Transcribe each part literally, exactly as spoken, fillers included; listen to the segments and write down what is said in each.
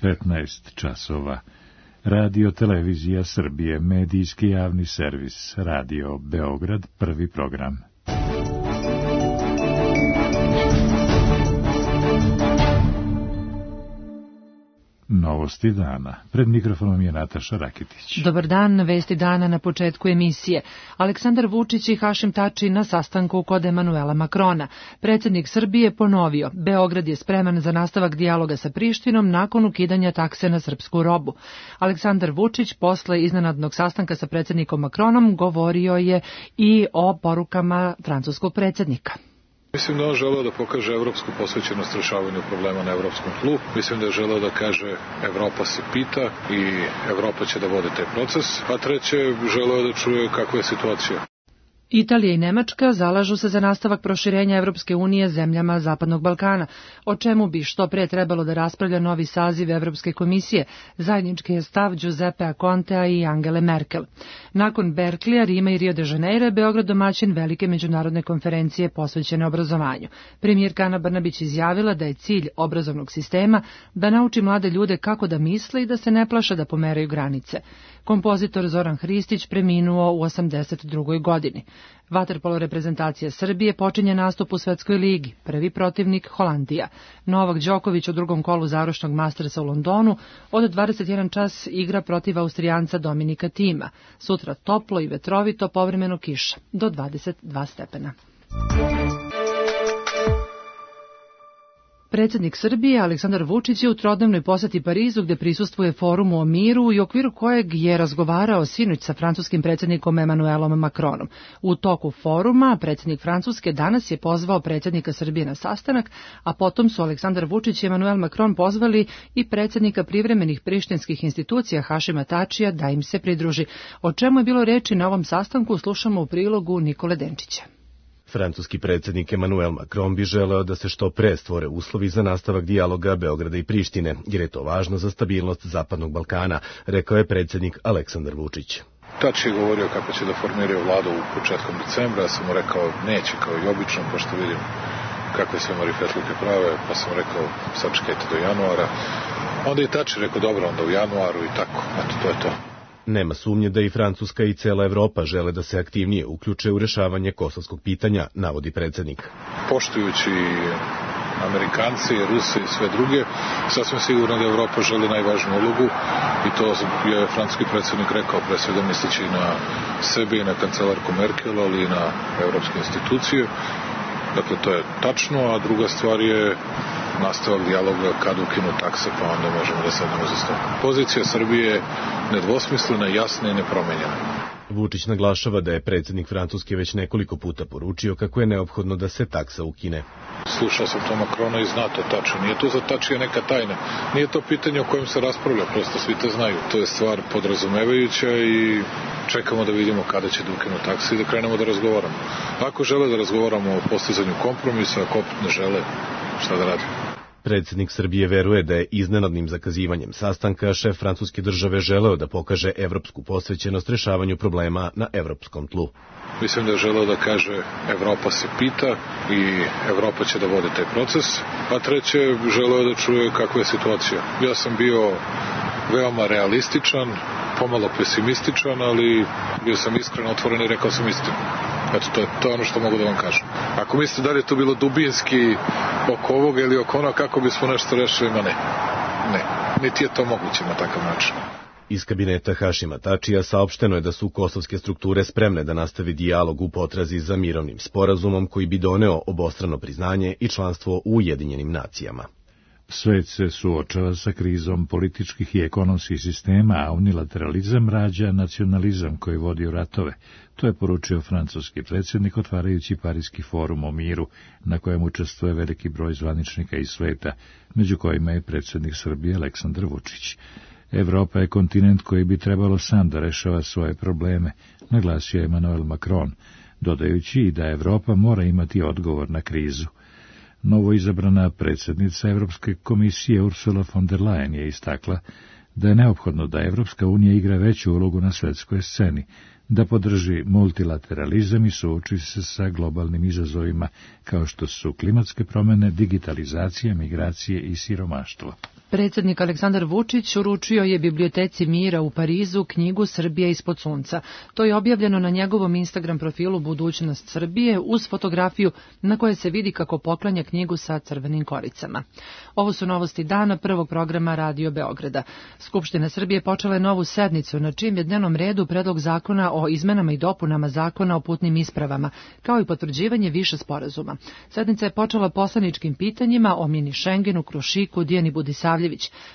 petnaest časova. Radio Televizija Srbije, medijski javni servis, Radio Beograd, prvi program. Novosti dana. Pred mikrofonom je Nataša Rakitić. Dobar dan, vesti dana na početku emisije. Aleksandar Vučić i Hašim Tači na sastanku kod Emanuela Makrona. Predsjednik Srbije ponovio, Beograd je spreman za nastavak dijaloga sa Prištinom nakon ukidanja takse na srpsku robu. Aleksandar Vučić posle iznenadnog sastanka sa predsjednikom Makronom govorio je i o porukama francuskog predsjednika. Mislim da on želeo da pokaže evropsku posvećenost rešavanju problema na evropskom tlu. Mislim da je želeo da kaže Evropa se pita i Evropa će da vodi taj proces. A treće, želeo da čuje kakva je situacija. Italija i Nemačka zalažu se za nastavak proširenja Evropske unije zemljama Zapadnog Balkana, o čemu bi što pre trebalo da raspravlja novi saziv Evropske komisije. Zajednički je stav Giuseppea Contea i Angele Merkel. Nakon Berklija, Rima i Rio de Janeiro, Beograd domaćin velike međunarodne konferencije posvećene obrazovanju. Premijerka Ana Brnabić izjavila da je cilj obrazovnog sistema da nauči mlade ljude kako da misle i da se ne plaše da pomeraju granice. Kompozitor Zoran Hristić preminuo u osamdeset drugoj godini. Vaterpolo reprezentacija Srbije počinje nastup u Svetskoj ligi, prvi protivnik Holandija. Novak Đoković u drugom kolu završnog Mastersa u Londonu od dvadeset jedan čas igra protiv Austrijanca Dominika Tima. Sutra toplo i vetrovito, povremeno kiša, do dvadeset dva stepena. Predsjednik Srbije Aleksandar Vučić je u trodnevnoj poseti Parizu gde prisustvuje forumu o miru i u okviru kojeg je razgovarao sinoć sa francuskim predsjednikom Emanuelom Makronom. U toku foruma predsjednik Francuske danas je pozvao predsjednika Srbije na sastanak, a potom su Aleksandar Vučić i Emanuel Makron pozvali i predsjednika privremenih prištinskih institucija Hašima Tačija da im se pridruži. O čemu je bilo reči na ovom sastanku slušamo u prilogu Nikole Denčića. Francuski predsjednik Emanuel Macron bi želeo da se što pre stvore uslovi za nastavak dijaloga Beograda i Prištine, jer je to važno za stabilnost Zapadnog Balkana, rekao je predsjednik Aleksandar Vučić. Tači je govorio kako će da formiraju vladu u početkom decembra, ja sam mu rekao neće kao i obično, pošto vidim kakve sve marifetluke prave, pa sam rekao sačekajte do januara. Onda je Tači rekao dobro, onda u januaru i tako, eto to je to. Nema sumnje da i Francuska i cela Evropa žele da se aktivnije uključe u rešavanje kosovskog pitanja, navodi predsjednik. Poštujući Amerikanci, Rusi i sve druge, sasvim sigurno da Evropa želi najvažniju ulogu i to je francuski predsjednik rekao, pre svega misleći na sebe i na kancelarku Merkel, ali i na evropske institucije. Dakle, to je tačno, a druga stvar je nastavak dijaloga kad ukinu takse, pa onda možemo da sednemo za stol. Pozicija Srbije je nedvosmislena, jasna i nepromenjena. Vučić naglašava da je predsjednik Francuske već nekoliko puta poručio kako je neophodno da se taksa ukine. Slušao sam to Makrona i zna to tačno. Nije to za Tačija neka tajna. Nije to pitanje o kojem se raspravlja, prosto svi to znaju. To je stvar podrazumevajuća i čekamo da vidimo kada će da ukinu takse i da krenemo da razgovaramo. Ako žele da razgovaramo o postizanju kompromisa, ako opet ne žele, šta da radimo? Predsjednik Srbije veruje da je iznenadnim zakazivanjem sastanka šef francuske države želeo da pokaže evropsku posvećenost rešavanju problema na evropskom tlu. Mislim da je želeo da kaže Evropa se pita i Evropa će da vodi taj proces, a treće, želeo je da čuje kakva je situacija. Ja sam bio veoma realističan, pomalo pesimističan, ali bio sam iskren, otvoren i rekao sam istinu. Eto, to je, to je ono što mogu da vam kažem. Ako mislite da li je to bilo dubinski oko ovoga ili oko onoga kako bismo nešto rešili, ma ne. Ne, niti je to moguće na takav način. Iz kabineta Hašima Tačija saopšteno je da su kosovske strukture spremne da nastavi dijalog u potrazi za mirovnim sporazumom koji bi doneo obostrano priznanje i članstvo u Ujedinjenim nacijama. Svet se suočava sa krizom političkih i ekonomskih sistema, a unilateralizam rađa nacionalizam koji vodi u ratove. To je poručio francuski predsjednik otvarajući Pariski forum o miru, na kojem učestvuje veliki broj zvaničnika iz sveta, među kojima je predsjednik Srbije Aleksandar Vučić. Evropa je kontinent koji bi trebalo sam da rešava svoje probleme, naglasio je Emanuel Macron, dodajući i da Evropa mora imati odgovor na krizu. Novoizabrana predsjednica Evropske komisije Ursula von der Leyen je istakla da je neophodno da Evropska unija igra veću ulogu na svetskoj sceni, da podrži multilateralizam i suoči se sa globalnim izazovima kao što su klimatske promjene, digitalizacija, migracije i siromaštvo. Predsjednik Aleksandar Vučić uručio je Biblioteci mira u Parizu knjigu Srbija ispod sunca. To je objavljeno na njegovom Instagram profilu Budućnost Srbije uz fotografiju na kojoj se vidi kako poklanja knjigu sa crvenim koricama. Ovo su novosti dana prvog programa Radio Beograda. Skupština Srbije počela je novu sednicu na čijem je dnevnom redu predlog zakona o izmenama i dopunama zakona o putnim ispravama, kao i potvrđivanje više sporazuma. Sednica je počela poslaničkim pitanjima o mini Šengenu, Krušiku, Dijani Budisavljević.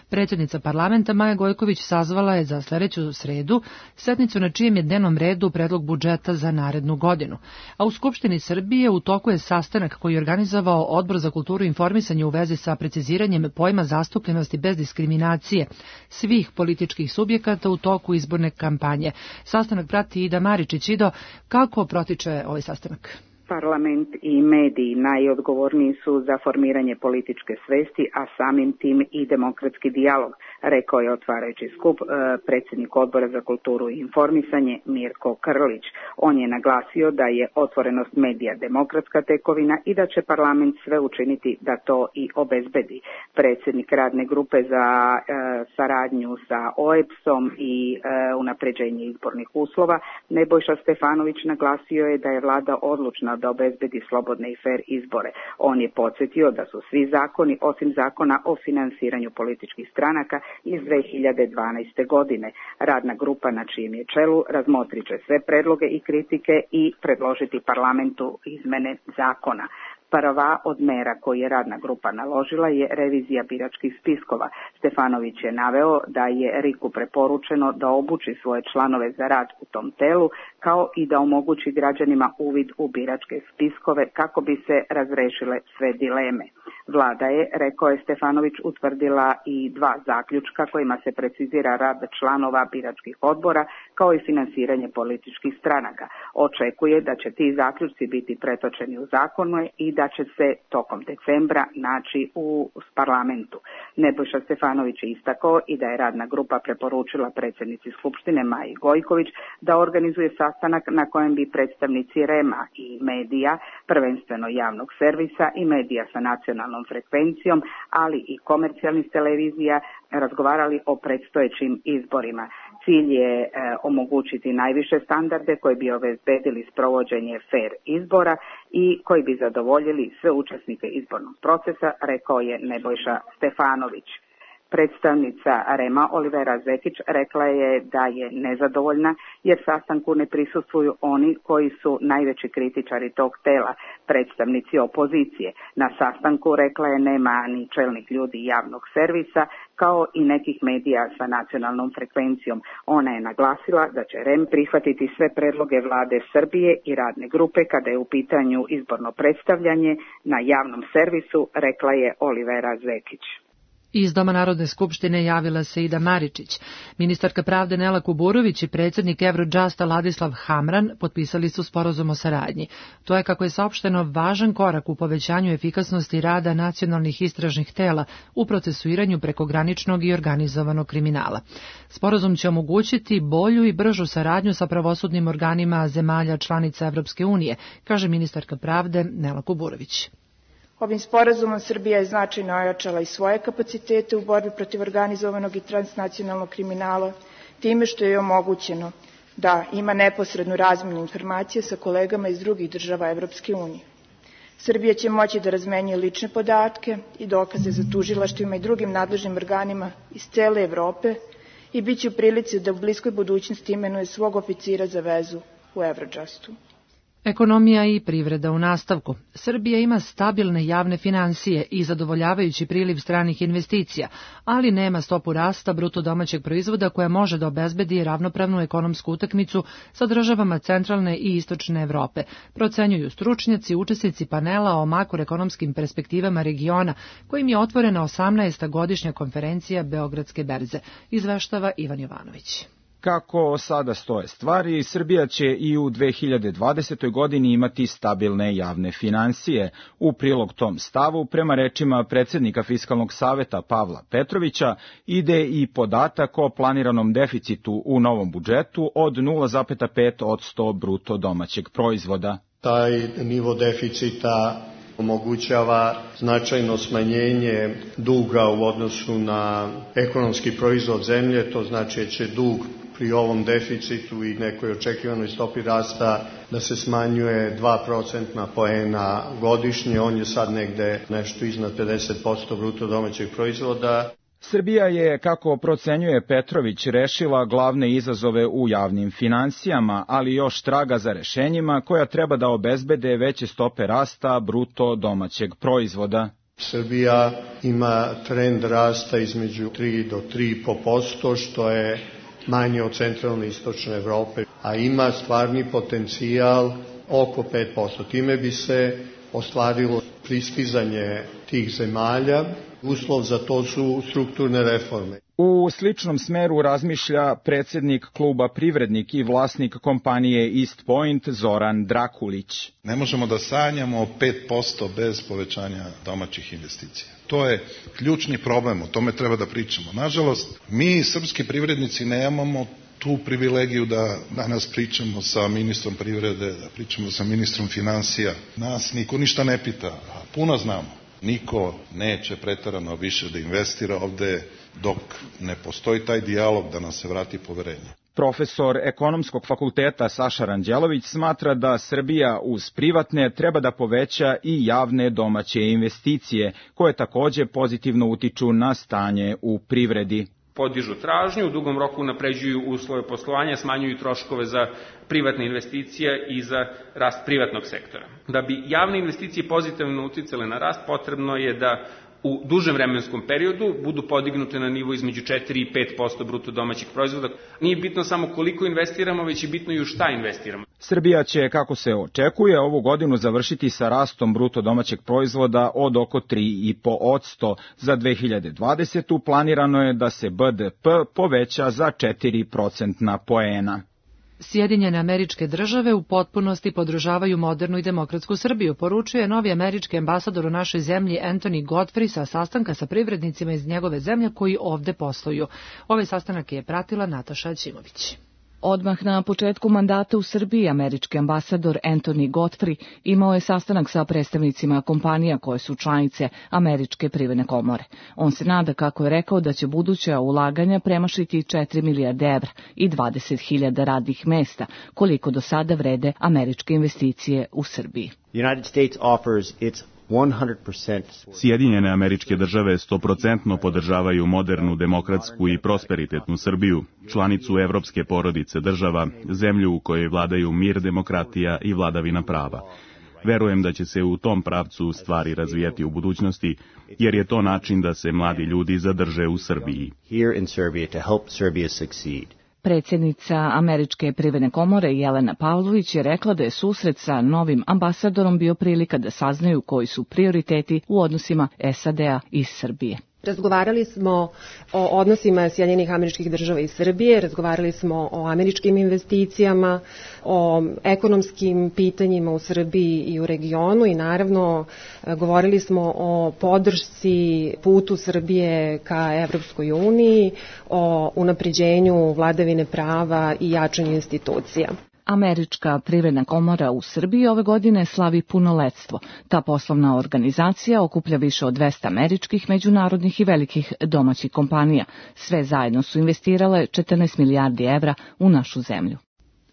Predsjednica parlamenta Maja Gojković sazvala je za sljedeću sredu sednicu na čijem je dnevnom redu predlog budžeta za narednu godinu. A u Skupštini Srbije u toku je sastanak koji je organizovao Odbor za kulturu i informisanje u vezi sa preciziranjem pojma zastupljenosti bez diskriminacije svih političkih subjekata u toku izborne kampanje. Sastanak prati Ida Maričić. Ido, kako protiče ovaj sastanak? Parlament i mediji najodgovorniji su za formiranje političke svesti, a samim tim i demokratski dijalog, rekao je otvarajući skup e, predsjednik Odbora za kulturu i informisanje Mirko Krlić. On je naglasio da je otvorenost medija demokratska tekovina i da će parlament sve učiniti da to i obezbedi. Predsjednik radne grupe za e, saradnju sa O E B S-om i e, unapređenje izbornih uslova Nebojša Stefanović naglasio je da je vlada odlučna da obezbedi slobodne i fer izbore. On je podsjetio da su svi zakoni, osim zakona o finansiranju političkih stranaka iz dve hiljade dvanaeste. godine. Radna grupa na čijem je čelu razmotrit će sve predloge i kritike i predložiti parlamentu izmene zakona. Prva od mera koju je radna grupa naložila je revizija biračkih spiskova. Stefanović je naveo da je Riku preporučeno da obuči svoje članove za rad u tom telu, kao i da omogući građanima uvid u biračke spiskove kako bi se razrešile sve dileme. Vlada je, rekao je Stefanović, utvrdila i dva zaključka kojima se precizira rad članova biračkih odbora kao i finansiranje političkih stranaka. Očekuje da će ti zaključci biti pretočeni u zakone i da će se tokom decembra naći u parlamentu. Nebojša Stefanović je istakao i da je radna grupa preporučila predsjednici Skupštine Maji Gojković da organizuje sastanak na kojem bi predstavnici R E M-a i medija, prvenstveno javnog servisa i medija sa nacionalnom frekvencijom, ali i komercijalnih televizija, razgovarali o predstojećim izborima. Cilj je e, omogućiti najviše standarde koji bi obezbedili sprovođenje fer izbora i koji bi zadovoljili sve učesnike izbornog procesa, rekao je Nebojša Stefanović. Predstavnica R E M-a Olivera Zekić rekla je da je nezadovoljna jer sastanku ne prisustvuju oni koji su najveći kritičari tog tela, predstavnici opozicije. Na sastanku, rekla je, nema ni čelnih ljudi javnog servisa kao i nekih medija sa nacionalnom frekvencijom. Ona je naglasila da će R E M prihvatiti sve predloge vlade Srbije i radne grupe kada je u pitanju izborno predstavljanje na javnom servisu, rekla je Olivera Zekić. Iz Doma Narodne skupštine javila se Ida Maričić. Ministarka pravde Nela Kuburović i predsjednik Eurojusta Ladislav Hamran potpisali su sporazum o saradnji. To je, kako je saopšteno, važan korak u povećanju efikasnosti rada nacionalnih istražnih tela u procesuiranju prekograničnog i organizovanog kriminala. Sporazum će omogućiti bolju i bržu saradnju sa pravosudnim organima zemalja članica Evropske unije, kaže ministarka pravde Nela Kuburović. Ovim sporazumom Srbija je značajno ojačala i svoje kapacitete u borbi protiv organizovanog i transnacionalnog kriminala, time što je omogućeno da ima neposrednu razmjenu informacije sa kolegama iz drugih država Evropske unije. Srbija će moći da razmenjuje lične podatke i dokaze za tužilaštvima i drugim nadležnim organima iz cele Evrope i bit će u prilici da u bliskoj budućnosti imenuje svog oficira za vezu u Eurojustu. Ekonomija i privreda u nastavku. Srbija ima stabilne javne finansije i zadovoljavajući priliv stranih investicija, ali nema stopu rasta bruto domaćeg proizvoda koja može da obezbedi ravnopravnu ekonomsku utakmicu sa državama centralne i istočne Evrope, procenjuju stručnjaci, učesnici panela o makroekonomskim perspektivama regiona, kojim je otvorena osamnaesta godišnja konferencija Beogradske berze, izveštava Ivan Jovanović. Kako sada stoje stvari, Srbija će i u dve hiljade dvadesetoj. godini imati stabilne javne finansije. U prilog tom stavu, prema rečima predsjednika Fiskalnog saveta Pavla Petrovića, ide i podatak o planiranom deficitu u novom budžetu od nula zarez pet posto bruto domaćeg proizvoda. Taj nivo deficita omogućava značajno smanjenje duga u odnosu na ekonomski proizvod zemlje, to znači da će dug pri ovom deficitu i nekoj očekivanoj stopi rasta da se smanjuje dva procentna poena godišnje, on je sad negde nešto iznad pedeset posto bruto domaćeg proizvoda. Srbija je, kako procenjuje Petrović, rešila glavne izazove u javnim finansijama, ali još traga za rešenjima koja treba da obezbede veće stope rasta bruto domaćeg proizvoda. Srbija ima trend rasta između tri do tri i po posto, što je manje od centralne i istočne Evrope, a ima stvarni potencijal oko pet posto. Time bi se ostvarilo pristizanje tih zemalja. Uslov za to su strukturne reforme. U sličnom smeru razmišlja predsjednik kluba Privrednik i vlasnik kompanije East Point Zoran Drakulić. Ne možemo da sanjamo o pet posto bez povećanja domaćih investicija. To je ključni problem, o tome treba da pričamo. Nažalost, mi srpski privrednici nemamo tu privilegiju da danas pričamo sa ministrom privrede, da pričamo sa ministrom finansija. Nas niko ništa ne pita, a puno znamo. Niko neće preterano više da investira ovde dok ne postoji taj dijalog da nam se vrati poverenje. Profesor Ekonomskog fakulteta Saša Ranđelović smatra da Srbija uz privatne treba da poveća i javne domaće investicije, koje takođe pozitivno utiču na stanje u privredi. Podižu tražnju, u dugom roku unapređuju uslove poslovanja, smanjuju troškove za privatne investicije i za rast privatnog sektora. Da bi javne investicije pozitivno uticale na rast, potrebno je da u dužem vremenskom periodu budu podignute na nivo između četiri i pet posto bruto domaćeg proizvoda. Nije bitno samo koliko investiramo, već je bitno i u šta investiramo. Srbija će, kako se očekuje, ovu godinu završiti sa rastom bruto domaćeg proizvoda od oko tri i po posto. Za dve hiljade dvadesetu. planirano je da se B D P poveća za četiri procentna poena. Sjedinjene Američke Države u potpunosti podržavaju modernu i demokratsku Srbiju, poručuje novi američki ambasador u našoj zemlji Anthony Godfrey sa sastanka sa privrednicima iz njegove zemlje koji ovde posluju. Ovaj sastanak je pratila Nataša Ćimović. Odmah na početku mandata u Srbiji američki ambasador Anthony Godfrey imao je sastanak sa predstavnicima kompanija koje su članice Američke privredne komore. On se nada, kako je rekao, da će buduća ulaganja premašiti četiri milijarde evra i dvadeset hiljada radnih mesta, koliko do sada vrede američke investicije u Srbiji. United States offers its Sjedinjene Američke Države stoprocentno podržavaju modernu, demokratsku i prosperitetnu Srbiju, članicu evropske porodice država, zemlju u kojoj vladaju mir, demokratija i vladavina prava. Verujem da će se u tom pravcu stvari razvijati u budućnosti, jer je to način da se mladi ljudi zadrže u Srbiji. Predsjednica Američke privredne komore Jelena Pavlović je rekla da je susret sa novim ambasadorom bio prilika da saznaju koji su prioriteti u odnosima S A D-a i Srbije. Razgovarali smo o odnosima Sjedinjenih Američkih Država i Srbije, razgovarali smo o američkim investicijama, o ekonomskim pitanjima u Srbiji i u regionu i naravno govorili smo o podršci putu Srbije ka Evropskoj uniji, o unapređenju vladavine prava i jačanju institucija. Američka privredna komora u Srbiji ove godine slavi punoletstvo. Ta poslovna organizacija okuplja više od dvesta američkih, međunarodnih i velikih domaćih kompanija. Sve zajedno su investirale četrnaest milijardi evra u našu zemlju.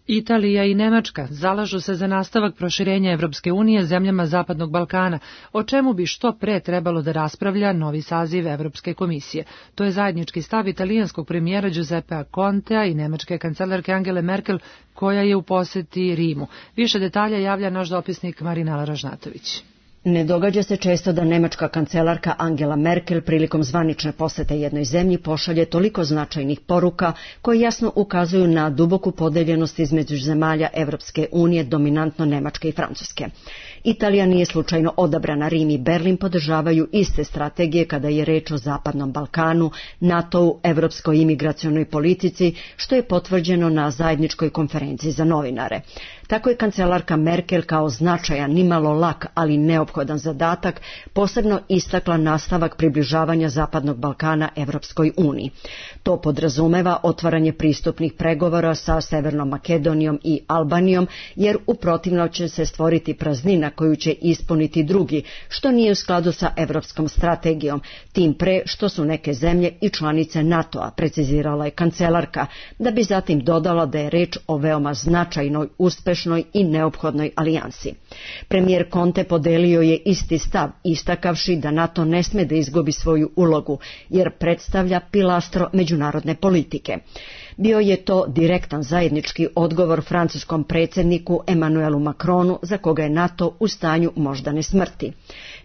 Italija i Nemačka zalažu se za nastavak proširenja Evropske unije zemljama Zapadnog Balkana, o čemu bi što pre trebalo da raspravlja novi saziv Evropske komisije. To je zajednički stav italijanskog premijera Giuseppea Contea i nemačke kancelarke Angele Merkel, koja je u poseti Rimu. Više detalja javlja naš dopisnik Marinela Ražnatović. Ne događa se često da nemačka kancelarka Angela Merkel prilikom zvanične posete jednoj zemlji pošalje toliko značajnih poruka koje jasno ukazuju na duboku podeljenost između zemalja Evropske unije, dominantno Nemačke i Francuske. Italija nije slučajno odabrana, Rim i Berlin podržavaju iste strategije kada je reč o Zapadnom Balkanu, NATO-u, evropskoj imigracionoj politici, što je potvrđeno na zajedničkoj konferenciji za novinare. Tako je kancelarka Merkel kao značajan, nimalo lak, ali neophodan zadatak posebno istakla nastavak približavanja Zapadnog Balkana Evropskoj uniji. To podrazumeva otvaranje pristupnih pregovora sa Severnom Makedonijom i Albanijom, jer u protivnom će se stvoriti praznina koju će ispuniti drugi, što nije u skladu sa evropskom strategijom, tim pre što su neke zemlje i članice NATO-a, precizirala je kancelarka, da bi zatim dodala da je reč o veoma značajnoj, uspešnoj i neophodnoj alijansi. Premijer Conte podelio je isti stav, istakavši da NATO ne sme da izgubi svoju ulogu, jer predstavlja pilastro međunarodne politike. Bio je to direktan zajednički odgovor francuskom predsjedniku Emmanuelu Macronu, za koga je NATO u stanju moždane smrti.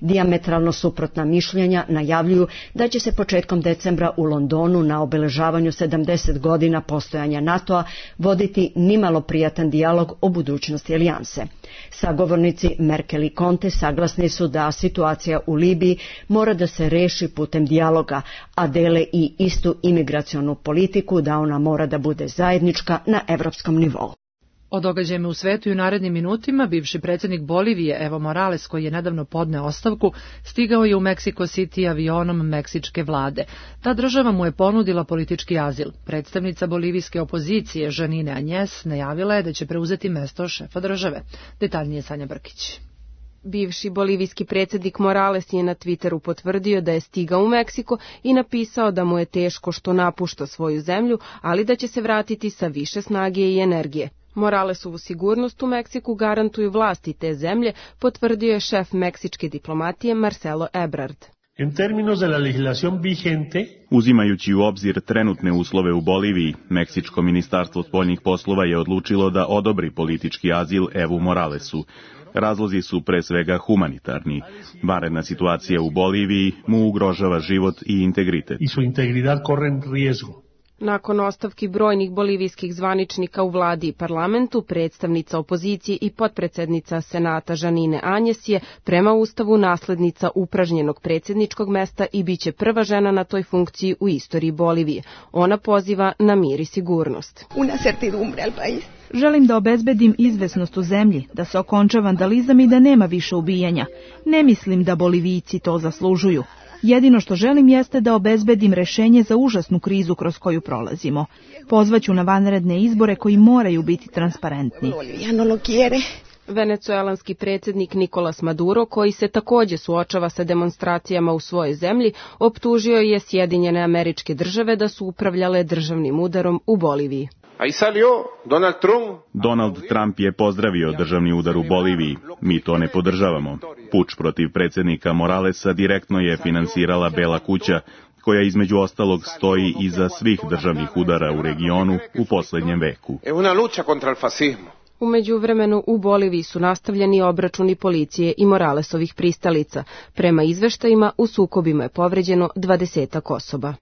Dijametralno suprotna mišljenja najavljuju da će se početkom decembra u Londonu na obeležavanju sedamdeset godina postojanja NATO-a voditi nimalo prijatan dijalog o budućnosti alijanse. Sagovornici Merkel i Conte saglasni su da situacija u Libiji mora da se reši putem dijaloga, a dele i istu imigracionu politiku da ona mora da bude zajednička na evropskom nivou. O događajima u svetu i u narednim minutima bivši predsjednik Bolivije Evo Morales, koji je nedavno podneo ostavku, stigao je u Mexico City avionom meksičke vlade. Ta država mu je ponudila politički azil. Predstavnica bolivijske opozicije Janine Añez najavila je da će preuzeti mesto šefa države. Detaljnije Sanja Brkić. Bivši bolivijski predsjednik Morales je na Twitteru potvrdio da je stigao u Meksiko i napisao da mu je teško što napušta svoju zemlju, ali da će se vratiti sa više snage i energije. Moralesovu sigurnost u Meksiku garantuju vlasti te zemlje, potvrdio je šef meksičke diplomatije Marcelo Ebrard. En términos de la legislación vigente, uzimajući u obzir trenutne uslove u Boliviji, Meksičko ministarstvo spoljnih poslova je odlučilo da odobri politički azil Evu Moralesu. Razlozi su pre svega humanitarni. Vanredna situacija u Boliviji mu ugrožava život i integritet. I su integridad corren riesgo. Nakon ostavki brojnih bolivijskih zvaničnika u vladi i parlamentu, predstavnica opozicije i potpredsednica Senata Janine Añez je prema Ustavu naslednica upražnjenog predsjedničkog mesta i biće prva žena na toj funkciji u istoriji Bolivije. Ona poziva na mir i sigurnost. Una certidumbre al país. Želim da obezbedim izvesnost u zemlji, da se okonča vandalizam i da nema više ubijanja. Ne mislim da Bolivijci to zaslužuju. Jedino što želim jeste da obezbedim rešenje za užasnu krizu kroz koju prolazimo. Pozvaću na vanredne izbore koji moraju biti transparentni. Venecuelanski predsjednik Nicolas Maduro, koji se također suočava sa demonstracijama u svojoj zemlji, optužio je Sjedinjene Američke Države da su upravljale državnim udarom u Boliviji. Donald Trump. Donald Trump je pozdravio državni udar u Boliviji. Mi to ne podržavamo. Puč protiv predsjednika Moralesa direktno je finansirala Bela kuća, koja između ostalog stoji iza svih državnih udara u regionu u posljednjem veku. U međuvremenu u Boliviji su nastavljeni obračuni policije i Moralesovih pristalica. Prema izveštajima u sukobima je povređeno dvadesetak osoba.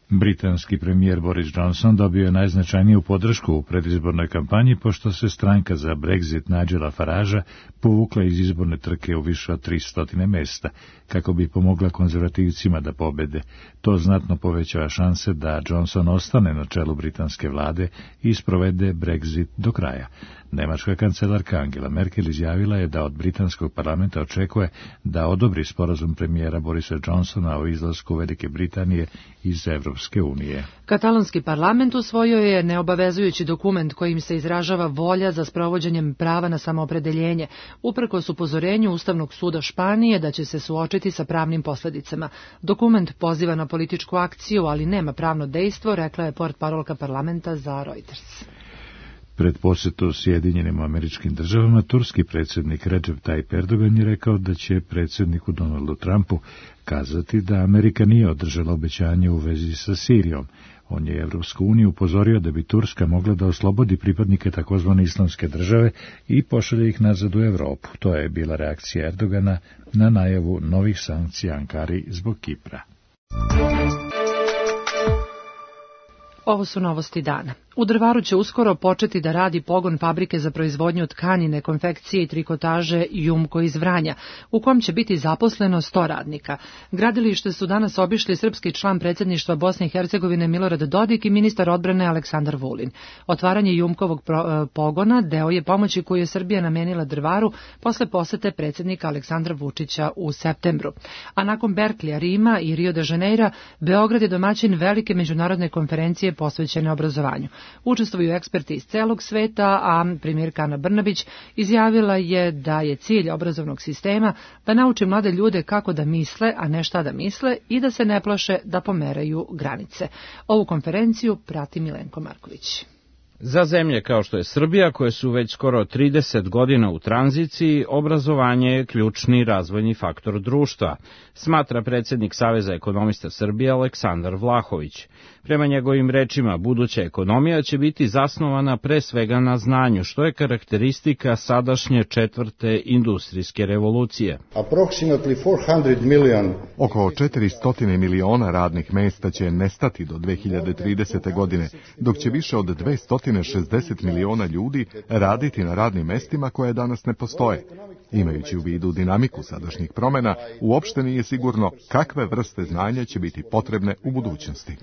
Britanski premijer Boris Johnson dobio je najznačajniju podršku u predizbornoj kampanji, pošto se stranka za Brexit Nigela Faragea povukla iz izborne trke u više od tristo mesta, kako bi pomogla konzervativcima da pobede. To znatno povećava šanse da Johnson ostane na čelu britanske vlade i sprovede Brexit do kraja. Nemačka kancelarka Angela Merkel izjavila je da od britanskog parlamenta očekuje da odobri sporazum premijera Borisa Johnsona o izlasku Velike Britanije iz Evropske unije. Katalonski parlament usvojio je neobavezujući dokument kojim se izražava volja za sprovođenjem prava na samoopredeljenje, uprkos upozorenju Ustavnog suda Španije da će se suočiti sa pravnim posljedicama. Dokument poziva na političku akciju, ali nema pravno dejstvo, rekla je portparolka parlamenta za Reuters. Pred posjetu Sjedinjenim Američkim Državama, turski predsjednik Recep Tayyip Erdogan je rekao da će predsjedniku Donaldu Trumpu kazati da Amerika nije održala obećanje u vezi sa Sirijom. On je Evropsku uniju upozorio da bi Turska mogla da oslobodi pripadnike takozvane islamske države i pošalje ih nazad u Evropu. To je bila reakcija Erdogana na najavu novih sankcija Ankari zbog Kipra. Ovo su novosti dana. U Drvaru će uskoro početi da radi pogon fabrike za proizvodnju tkanine, konfekcije i trikotaže Jumko iz Vranja, u kom će biti zaposleno sto radnika. Gradilište su danas obišli srpski član predsjedništva Bosne i Hercegovine Milorad Dodik i ministar odbrane Aleksandar Vulin. Otvaranje Jumkovog pogona deo je pomoći koju je Srbija namenila Drvaru posle posete predsjednika Aleksandra Vučića u septembru. A nakon Berklija, Rima i Rio de Janeira, Beograd je domaćin velike međunarodne konferencije posvećene obrazovanju. Učestvuju eksperti iz celog sveta, a premijerka Ana Brnabić izjavila je da je cilj obrazovnog sistema da nauči mlade ljude kako da misle, a ne šta da misle, i da se ne plaše da pomeraju granice. Ovu konferenciju prati Milenko Marković. Za zemlje kao što je Srbija, koje su već skoro trideset godina u tranziciji, obrazovanje je ključni razvojni faktor društva, smatra predsjednik Saveza ekonomista Srbije Aleksandar Vlahović. Prema njegovim rečima, buduća ekonomija će biti zasnovana pre svega na znanju, što je karakteristika sadašnje četvrte industrijske revolucije. Oko četiristo miliona radnih mesta će nestati do dve hiljade tridesete. godine, dok će više od dvesta šezdeset miliona ljudi raditi na radnim mestima koje danas ne postoje. Imajući u vidu dinamiku sadašnjih promjena, uopšte nije sigurno kakve vrste znanja će biti potrebne u budućnosti.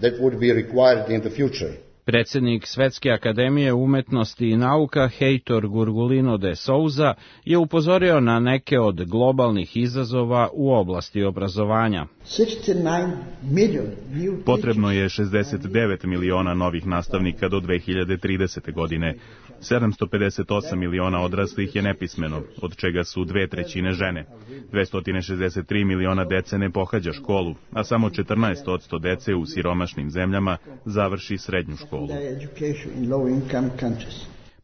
Predsjednik Svetske akademije umetnosti i nauka Heitor Gurgulino de Souza je upozorio na neke od globalnih izazova u oblasti obrazovanja. Potrebno je šezdeset devet miliona novih nastavnika do dve hiljade tridesete. godine. sedamsto pedeset osam miliona odraslih je nepismeno, od čega su dve trećine žene. dvesta šezdeset tri miliona dece ne pohađa školu, a samo četrnaest posto dece u siromašnim zemljama završi srednju školu.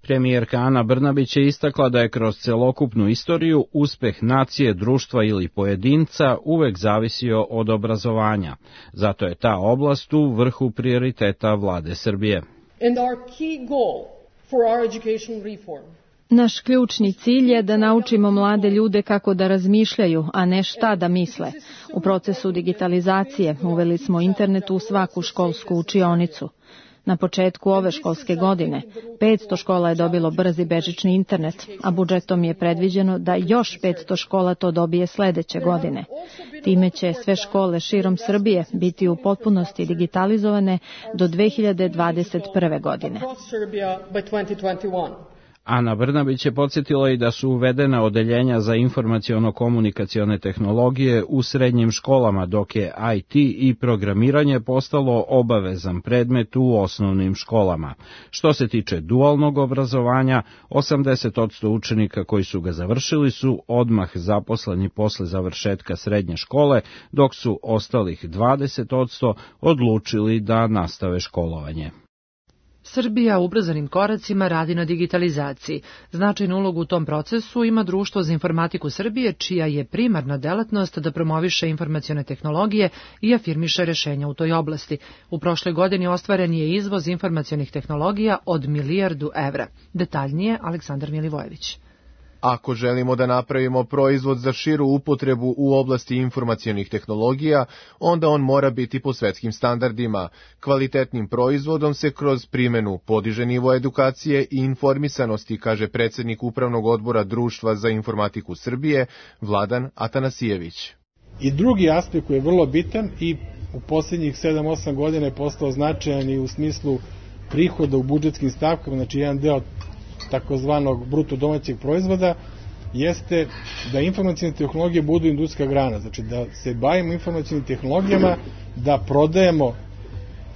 Premijerka Ana Brnabić je istakla da je kroz celokupnu istoriju uspeh nacije, društva ili pojedinca uvek zavisio od obrazovanja. Zato je ta oblast u vrhu prioriteta vlade Srbije. Naš ključni cilj je da naučimo mlade ljude kako da razmišljaju, a ne šta da misle. U procesu digitalizacije uveli smo internet u svaku školsku učionicu. Na početku ove školske godine petsto škola je dobilo brzi bežični internet, a budžetom je predviđeno da još petsto škola to dobije sledeće godine. Time će sve škole širom Srbije biti u potpunosti digitalizovane do dve hiljade dvadeset prve. godine. Ana Brnabić je podsjetila i da su uvedena odeljenja za informaciono-komunikacione tehnologije u srednjim školama, dok je I T i programiranje postalo obavezan predmet u osnovnim školama. Što se tiče dualnog obrazovanja, osamdeset posto učenika koji su ga završili su odmah zaposleni posle završetka srednje škole, dok su ostalih dvadeset posto odlučili da nastave školovanje. Srbija ubrzanim koracima radi na digitalizaciji. Značajnu ulogu u tom procesu ima Društvo za informatiku Srbije, čija je primarna delatnost da promoviše informacione tehnologije i afirmiše rešenja u toj oblasti. U prošloj godini ostvaren je izvoz informacionih tehnologija od milijardu evra. Detaljnije, Aleksandar Milivojević. Ako želimo da napravimo proizvod za širu upotrebu u oblasti informacionih tehnologija, onda on mora biti po svetskim standardima. Kvalitetnim proizvodom se kroz primenu podiže nivo edukacije i informisanosti, kaže predsjednik Upravnog odbora Društva za informatiku Srbije, Vladan Atanasijević. I drugi aspekt koji je vrlo bitan i u posljednjih sedam osam godina je postao značajan i u smislu prihoda u budžetskim stavkama, znači jedan deo takozvanog bruto domaćeg proizvoda, jeste da informacijne tehnologije budu industrijska grana, znači da se bavimo informacijnim tehnologijama, da prodajemo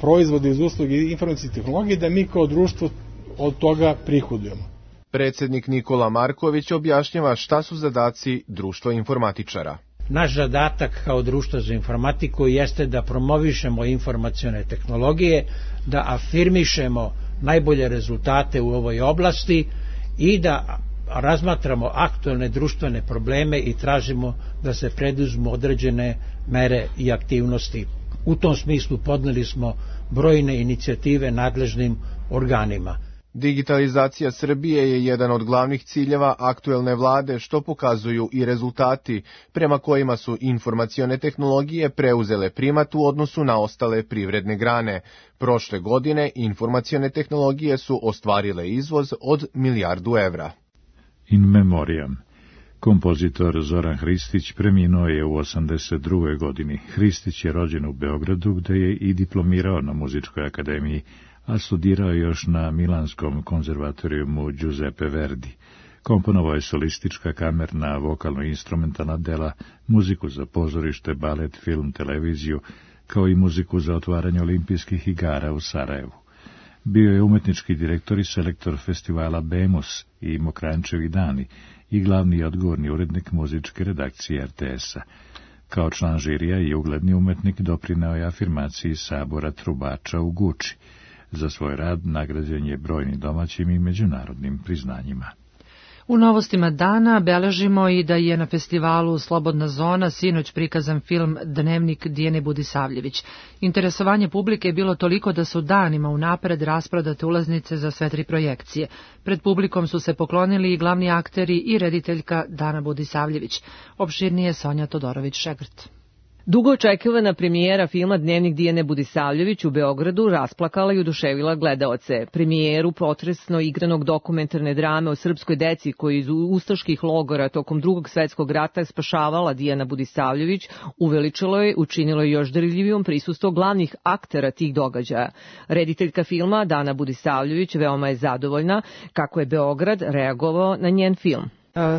proizvode iz usluge informacijne tehnologije, da mi kao društvo od toga prihodujemo. Predsjednik Nikola Marković objašnjava šta su zadaci društva informatičara. Naš zadatak kao društvo za informatiku jeste da promovišemo informacione tehnologije, da afirmišemo najbolje rezultate u ovoj oblasti i da razmatramo aktualne društvene probleme i tražimo da se preduzmu određene mere i aktivnosti. U tom smislu podneli smo brojne inicijative nadležnim organima. Digitalizacija Srbije je jedan od glavnih ciljeva aktuelne vlade, što pokazuju i rezultati, prema kojima su informacione tehnologije preuzele primat u odnosu na ostale privredne grane. Prošle godine informacione tehnologije su ostvarile izvoz od milijardu evra. In memoriam. Kompozitor Zoran Hristić preminuo je u osamdeset drugoj. godini. Hristić je rođen u Beogradu, gde je i diplomirao na Muzičkoj akademiji, a studirao još na Milanskom konzervatorijumu Giuseppe Verdi. Komponovao je solistička, kamerna, vokalno-instrumentalna dela, muziku za pozorište, balet, film, televiziju, kao i muziku za otvaranje olimpijskih igara u Sarajevu. Bio je umetnički direktor i selektor festivala Bemus i Mokrančevi dani i glavni i odgovorni urednik muzičke redakcije R T S-a. Kao član žirija i ugledni umetnik doprineo je afirmaciji sabora trubača u Guči. Za svoj rad nagrađen je brojnim domaćim i međunarodnim priznanjima. U novostima dana beležimo i da je na festivalu Slobodna zona sinoć prikazan film Dnevnik Dijane Budisavljević. Interesovanje publike je bilo toliko da su danima unapred rasprodate ulaznice za sve tri projekcije. Pred publikom su se poklonili i glavni akteri i rediteljka Dana Budisavljević. Opširnije Sonja Todorović-Šegrt. Dugo očekivana premijera filma Dnevnik Dijane Budisavljević u Beogradu rasplakala i oduševila gledaoce. Premijeru potresno igranog dokumentarne drame o srpskoj deci koji iz ustaških logora tokom Drugog svetskog rata spašavala Dijana Budisavljević uveličilo je, učinilo je još dirljivijom prisustvo glavnih aktera tih događaja. Rediteljka filma Dana Budisavljević veoma je zadovoljna kako je Beograd reagovao na njen film.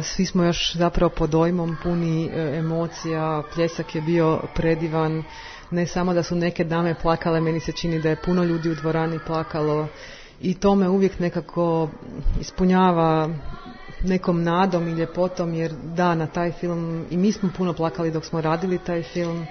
Svi smo još zapravo pod dojmom, puni emocija, pljesak je bio predivan, ne samo da su neke dame plakale, meni se čini da je puno ljudi u dvorani plakalo i to me uvijek nekako ispunjava nekom nadom i ljepotom, jer da, na taj film i mi smo puno plakali dok smo radili taj film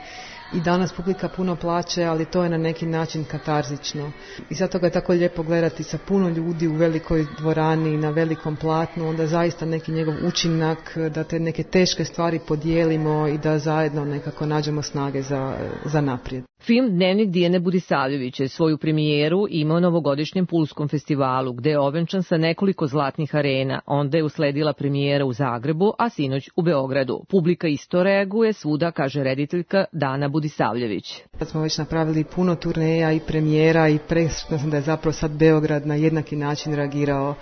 i danas publika puno plače, ali to je na neki način katarzično. I zato ga je tako lijepo gledati sa puno ljudi u velikoj dvorani, na velikom platnu, onda zaista neki njegov učinak, da te neke teške stvari podijelimo i da zajedno nekako nađemo snage za, za naprijed. Film Dnevnik Dijane Budisavljević je svoju premijeru imao na ovogodišnjem Pulskom festivalu, gde je ovenčan sa nekoliko zlatnih arena. Onda je usledila premijera u Zagrebu, a sinoć u Beogradu. Publika isto reaguje svuda, kaže rediteljka Dana Budisavljević. Sad smo već napravili puno turneja i premijera i presretna sam da je zapravo sad Beograd na jednaki način reagirao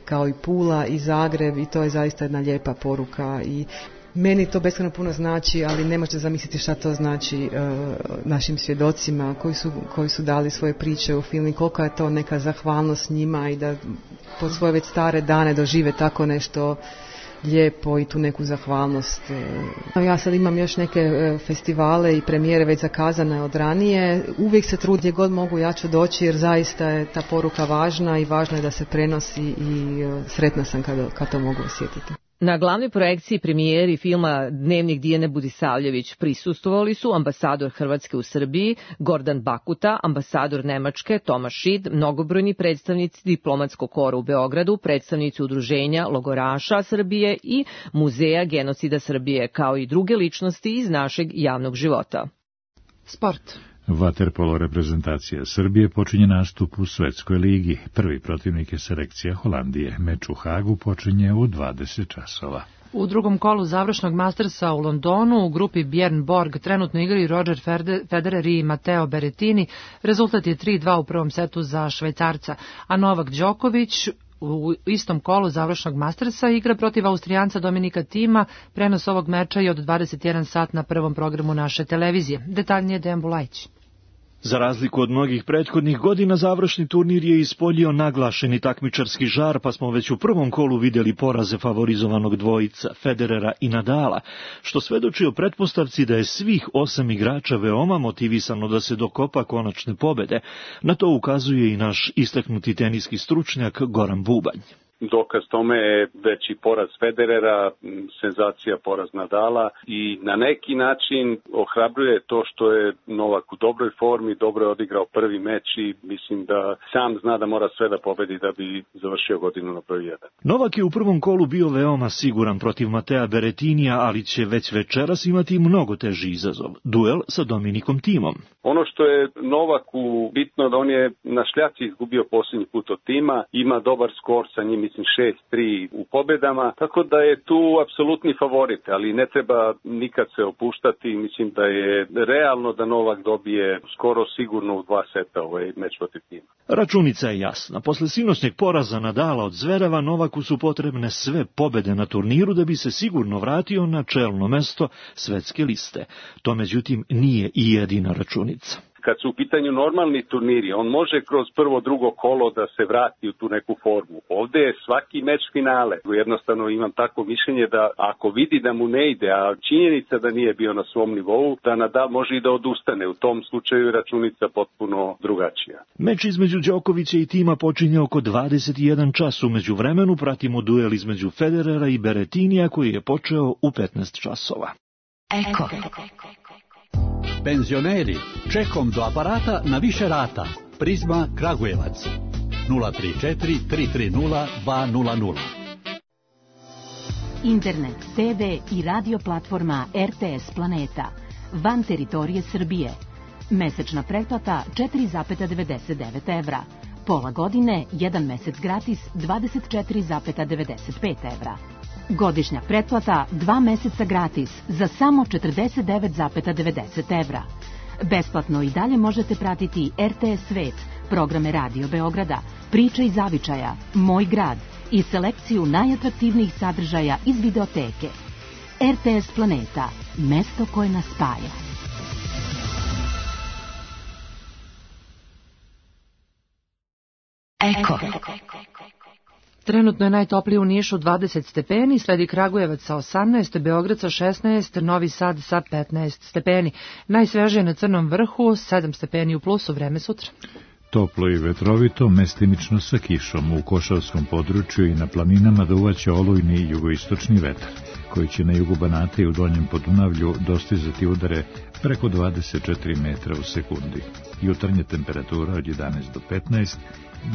kao i Pula i Zagreb i to je zaista jedna lijepa poruka i meni to beskrajno puno znači, ali ne možete zamisliti šta to znači uh, našim svjedocima koji su, koji su dali svoje priče u filmu, koliko je to neka zahvalnost njima i da pod svoje već stare dane dožive tako nešto lijepo i tu neku zahvalnost. Ja sad imam još neke festivale i premijere već zakazane od ranije. Uvijek se trudim gdje god mogu ja ću doći jer zaista je ta poruka važna i važno je da se prenosi i sretna sam kad, kad to mogu osjetiti. Na glavnoj projekciji premijeri filma Dnevnik Dijane Budisavljević prisustvovali su ambasador Hrvatske u Srbiji, Gordan Bakuta, ambasador Nemačke, Tomaš Šid, mnogobrojni predstavnici diplomatskog kora u Beogradu, predstavnici udruženja logoraša Srbije i Muzeja genocida Srbije, kao i druge ličnosti iz našeg javnog života. Sport. Vaterpolo reprezentacija Srbije počinje nastup u Svetskoj ligi. Prvi protivnik je selekcija Holandije. Meč u Hagu počinje u dvadeset časova. U drugom kolu završnog Mastersa u Londonu u grupi Björn Borg trenutno igraju Roger Federer i Matteo Berrettini. Rezultat je tri dva u prvom setu za Švajcarca, a Novak Đoković u istom kolu završnog Mastersa igra protiv Austrijanca Dominika Tima. Prenos ovog meča je od dvadeset jedan sat na prvom programu naše televizije. Detaljnije Dejan Bulajić. Za razliku od mnogih prethodnih godina, završni turnir je ispoljio naglašeni takmičarski žar, pa smo već u prvom kolu vidjeli poraze favorizovanog dvojica, Federera i Nadala, što svedoči o pretpostavci da je svih osam igrača veoma motivisano da se dokopa konačne pobede. Na to ukazuje i naš istaknuti teniski stručnjak Goran Bubanj. Dokaz tome je veći poraz Federera, senzacija poraz Nadala i na neki način ohrabruje to što je Novak u dobroj formi, dobro je odigrao prvi meč i mislim da sam zna da mora sve da pobedi da bi završio godinu na broj jedan. Novak je u prvom kolu bio veoma siguran protiv Matea Berrettinija, ali će već večeras imati mnogo teži izazov, duel sa Dominikom Timom. Ono što je Novaku bitno da on je na šljaci izgubio posljednji put od Tima, ima dobar skor sa njim, mislim šest tri u pobedama, tako da je tu apsolutni favorit, ali ne treba nikad se opuštati, mislim da je realno da Novak dobije skoro sigurno u dva seta ovaj meč protiv Tima. Računica je jasna, posle sinoćnjeg poraza Nadala od Zvereva, Novaku su potrebne sve pobede na turniru da bi se sigurno vratio na čelno mesto svetske liste. To međutim nije i jedina računica. Kad su u pitanju normalni turniri, on može kroz prvo, drugo kolo da se vrati u tu neku formu. Ovde je svaki meč finale. Jednostavno imam tako mišljenje da ako vidi da mu ne ide, a činjenica da nije bio na svom nivou, da Nadal može i da odustane. U tom slučaju je računica potpuno drugačija. Meč između Đokovića i tima počinje oko dvadeset i jedan čas. U međuvremenu pratimo duel između Federera i Berettinija koji je počeo u petnaest časova. Eko. Penzioneri, čekom do aparata na više rata. Prizma Kragujevac. nula tri četiri tri tri nula dva nula nula. Internet, te ve i radio platforma er te es Planeta. Van teritorije Srbije. Mesečna pretplata četiri zarez devedeset devet evra. Pola godine, jedan mesec gratis, dvadeset četiri zarez devedeset pet evra. Godišnja pretplata, dva meseca gratis, za samo četrdeset devet zarez devedeset evra. Besplatno i dalje možete pratiti er te es Svet, programe Radio Beograda, Priče iz Zavičaja, Moj grad i selekciju najatraktivnijih sadržaja iz videoteke. er te es Planeta, mesto koje nas spaja. Eko. Trenutno je najtoplije u Nišu dvadeset stepeni, sledi Kragujevac sa osamnaest, Beograd sa šesnaest, Novi Sad sa petnaest stepeni. Najsvežije na Crnom vrhu, sedam stepeni u plusu, vreme sutra. Toplo i vetrovito, mestimično sa kišom. U Košavskom području i na planinama duvaće olujni jugoistočni vetar, koji će na jugu Banata i u Donjem Podunavlju dostizati udare preko dvadeset četiri metra u sekundi. Jutarnja temperatura od jedanaest do petnaest,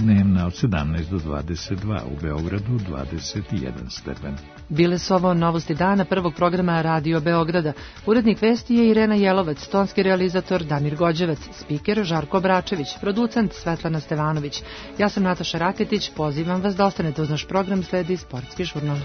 dnevna od sedamnaest do dvadeset dva, u Beogradu dvadeset jedan stepen. Bile su ovo novosti dana prvog programa Radio Beograda. Urednik vesti je Irena Jelovac, tonski realizator Damir Gođevac, spiker Žarko Bračević, producent Svetlana Stevanović. Ja sam Nataša Raketić, pozivam vas da ostanete uz naš program, sledi sportski žurnal.